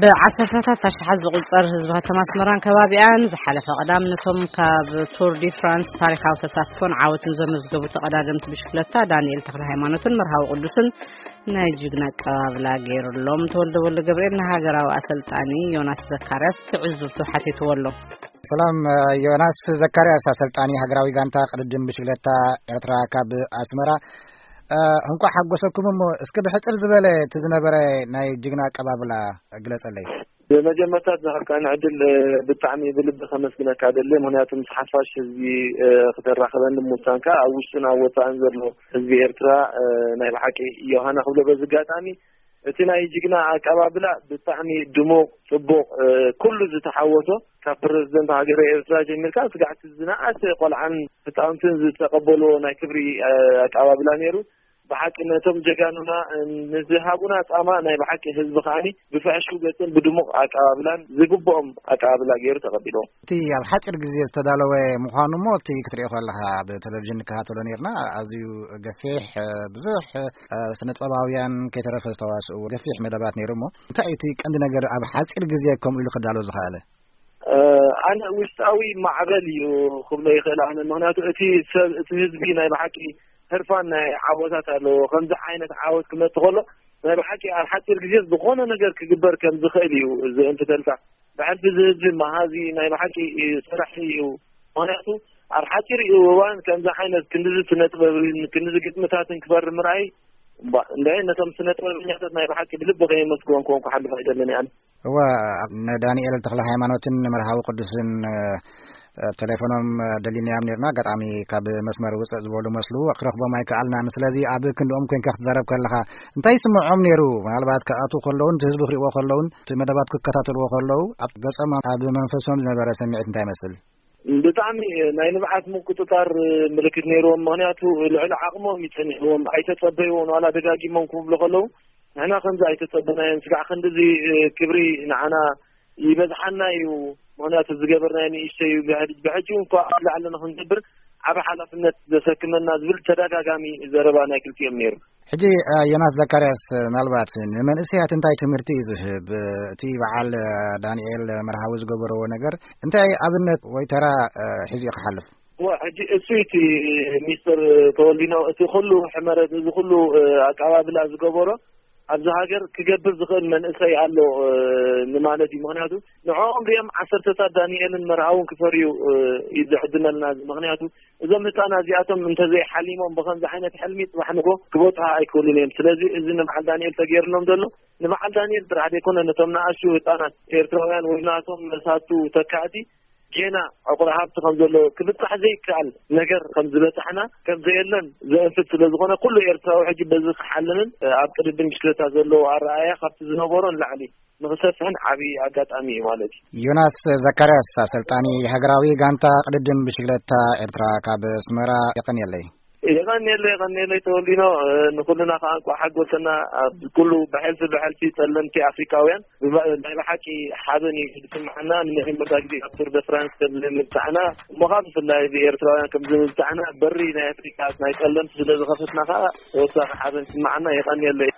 ብዓሰርተታት ኣሽሓት ዝቑጸር ህዝቢ ከተማ ኣስመራን ከባቢኣን ዝሓለፈ ቀዳም ነቶም ካብ ቱር ዲ ፍራንስ ታሪኻዊ ተሳትፎን ዓወትን ዘመዝገቡ ተቐዳደምቲ ብሽክለታ ዳንኤል ተኽለ ሃይማኖትን መርሃዊ ቅዱስን ናይ ጅግና ኣቀባብላ ገይሩሎም። ተወልደ ወልደ ገብርኤል ንሃገራዊ ኣሰልጣኒ ዮናስ ዘካርያስ ትዕዝብቱ ሓቲትዎ ኣሎ። ሰላም፣ ዮናስ ዘካርያስ፣ ኣሰልጣኒ ሃገራዊ ጋንታ ቅድድም ብሽክለታ ኤርትራ ካብ ኣስመራ። እንኳዕ ሓጎሰኩም። እሞ እስኪ ብሕጽር ዝበለ እቲ ዝነበረ ናይ ጅግና ኣቀባብላ ግለጸለይ። ብመጀመርታ ዝሃብካኒ ዕድል ብጣዕሚ ብልቢ ከመስግነካ ደሊ። ምክንያቱ ምስ ሓፋሽ ህዝቢ ክተራኽበኒ ምውሳንካ፣ ኣብ ውሽጥን ኣብ ወፃእን ዘሎ ህዝቢ ኤርትራ ናይ ብሓቂ ዮሃና ክብሎ በዚ ኣጋጣሚ። እቲ ናይ ጅግና ኣቀባብላ ብጣዕሚ ድሙቕ፣ ጽቡቕ፣ ኩሉ ዝተሓወሶ፣ ካብ ፕረዚደንት ሃገረ ኤርትራ ጀሚርካ ስጋዕ እቲ ዝነኣሰ ቆልዓን ህፃውንትን ዝተቐበልዎ ናይ ክብሪ ኣቀባብላ ነይሩ። ብሓቂ ነቶም ጀጋኑና ንዝሃቡና ፃማ ናይ ብሓቂ ህዝቢ ከዓኒ ብፍሕሽው ገፅን ብድሙቕ ኣቀባብላን ዝግብኦም ኣቀባብላ ገይሩ ተቐቢልዎም። እቲ ኣብ ሓፂር ግዜ ዝተዳለወ ምዃኑ እሞ፣ እቲ ክትሪኦ ከለኻ፣ ኣብ ቴሌቪዥን ንከታተሎ ነርና፣ ኣዝዩ ገፊሕ፣ ብዙሕ ስነጥበባውያን ከይተረፈ ዝተዋስእዎ ገፊሕ መደባት ነይሩ። እሞ እንታይ እዩ እቲ ቀንዲ ነገር ኣብ ሓፂር ግዜ ከምኡ ኢሉ ክዳሎ ዝኸኣለ? ኣነ ውሽጣዊ ማዕበል እዩ ክብሎ ይኽእል። ኣነ ምክንያቱ እቲ ሰብ፣ እቲ ህዝቢ ናይ ብሓቂ ህርፋን ናይ ዓወታት ኣለዎ። ከምዚ ዓይነት ዓወት ክመጽእ ከሎ ናይ ብሓቂ ኣብ ሓፂር ግዜ ዝኾነ ነገር ክግበር ከም ዝኽእል እዩ ዝእንፍተልካ። ብሕልፊ እዚ ህዝቢ መሃዚ ናይ ብሓቂ ሰራሒ እዩ። ምክንያቱ ኣብ ሓፂር እዩ እዋን ከምዚ ዓይነት ክንድዚ ስነ ጥበብን ክንድዚ ግጥምታትን ክፈሪ ምርኣይ፣ እምባ እንደ ነቶም ስነ ጥበበኛታት ናይ ብሓቂ ብልቢ ከየመስግኖም ክኾን ክሓልፍ ኣይደልን እየ። እወ፣ ንዳንኤል ተኽለ ሃይማኖትን ንመርሃዊ ቅዱስን፣ እ፣ ቴሌፎኖም፣ እ፣ ደሊናዮም ነርና። ኣጋጣሚ ካብ መስመር ውፅእ ዝበሉ መስሉ፣ ክረኽቦም ኣይከኣልናን። ስለዚ ኣብ ክንድኦም ኮንካ ክትዛረብ ከለኻ እንታይ ይስምዖም ነይሩ? ምናልባት ክኣትዉ ከለውን፣ እቲ ህዝቢ ክሪእዎ ከለውን፣ እቲ መደባት ክከታተልዎ ከለዉ፣ ኣብ ገጾም፣ ኣብ መንፈሶም ዝነበረ ስምዒት እንታይ ይመስል? ብጣዕሚ ናይ ንብዓት ምቁጽጻር ምልክት ነይርዎም። ምኽንያቱ ልዕሊ ዓቕሞም እዩ ጸኒሕዎም። ኣይተጸበይዎን፣ ዋላ ደጋጊሞም ክብሉ ከለዉ፣ ንሕና ከምዚ ኣይተጸበናዮን። ስጋዕ ክንድዚ ክብሪ ንዓና ይበዝሓና እዩ። ምኽንያቱ ዝገበርናዮ ንእሽተይ እዩ። ብሕጂ፣ ብሕጂ እንኳ ኣብ ላዕሊ ንኽንገብር ዓቢ ሓላፍነት ዘሰክመና ዝብል ተደጋጋሚ ዘረባ ናይ ክልቲኦም ነይሩ። ሕጂ፣ እ፣ ዮናስ ዘካርያስ፣ ምናልባት ንመንእሰያት እንታይ ትምህርቲ እዩ ዝህብ? እቲ በዓል፣ እ፣ ዳንኤል መርሃዊ ዝገበርዎ ነገር እንታይ ኣብነት ወይ ተራ፣ እ፣ ሒዙ እዩ ክሓልፍ? እወ፣ ሕጂ እሱ እቲ ሚስተር ተወልዲኖ፣ እቲ ኩሉ ሕመረት፣ እዚ ኩሉ፣ እ፣ ኣቀባብላ ዝገበሮ ኣብዚ ሃገር ክገብር ዝኽእል መንእሰይ ኣሎ፣ እ፣ ንማለት እዩ። ምኽንያቱ ንዕኦም ሪኦም ዓሰርተታት ዳንኤልን መርሃውን ክፈርዩ፣ እ፣ እዩ ዝዕድመልና። ምኽንያቱ እዞም ህፃናት እዚኣቶም እንተዘይሓሊሞም ብኸምዚ ዓይነት ሕልሚ ፅባሕ ንጎ ክበፅሑ ኣይክእሉን እዮም። ስለዚ እዚ ንበዓል ዳንኤል ተገይርሎም ዘሎ ንበዓል ዳንኤል ጥራሕ ዘይኮነ ነቶም ንኣሽቱ ህፃናት ኤርትራውያን ወይ ናቶም መሳቱ ተካእቲ ጌና ዕቑር ሃብቲ ከም ዘሎ ክብፃሕ ዘይከኣል ነገር ከም ዝበፃሕና ከም ዘየለን ዘእንፍት ስለ ዝኾነ ኩሉ ኤርትራዊ ሕጂ በዚ ክሓልምን ኣብ ቅድድም ብሽክለታ ዘለዎ ኣረኣእያ ካብቲ ዝነበሮ ንላዕሊ ንኽሰፍሕን ዓብዪ ኣጋጣሚ እዩ ማለት እዩ። ዮናስ ዘካርያስ፣ ኣሰልጣኒ ሃገራዊ ጋንታ ቅድድም ብሽክለታ ኤርትራ ካብ ኣስመራ፣ የቐንየለይ። የቐንየለይ፣ የቐንየለይ ተወልዲኖ፣ እ፣ ንኹልና ከኣ እንኳዕ ሓጎሰና። ኣብ ኩሉ ብሕልፊ ብሕልፊ ጸለምቲ ኣፍሪካውያን ብባ-፣ ናይ ብሓቂ ሓበን እዩ ዝስምዓና። ንመጀመርታ ግዜ ኣብ ቱር ደ ፍራንስ ከም ዝምብጻሕና፣ እሞ ከኣ ብፍላይ እዚ ኤርትራውያን ከም ዝምብጻሕና በሪ ናይ ኣፍሪካ ናይ ጸለምቲ ስለ ዝኸፈትና ከኣ ተወሳኺ ሓበን ይስምዓና። የቐንየለይ።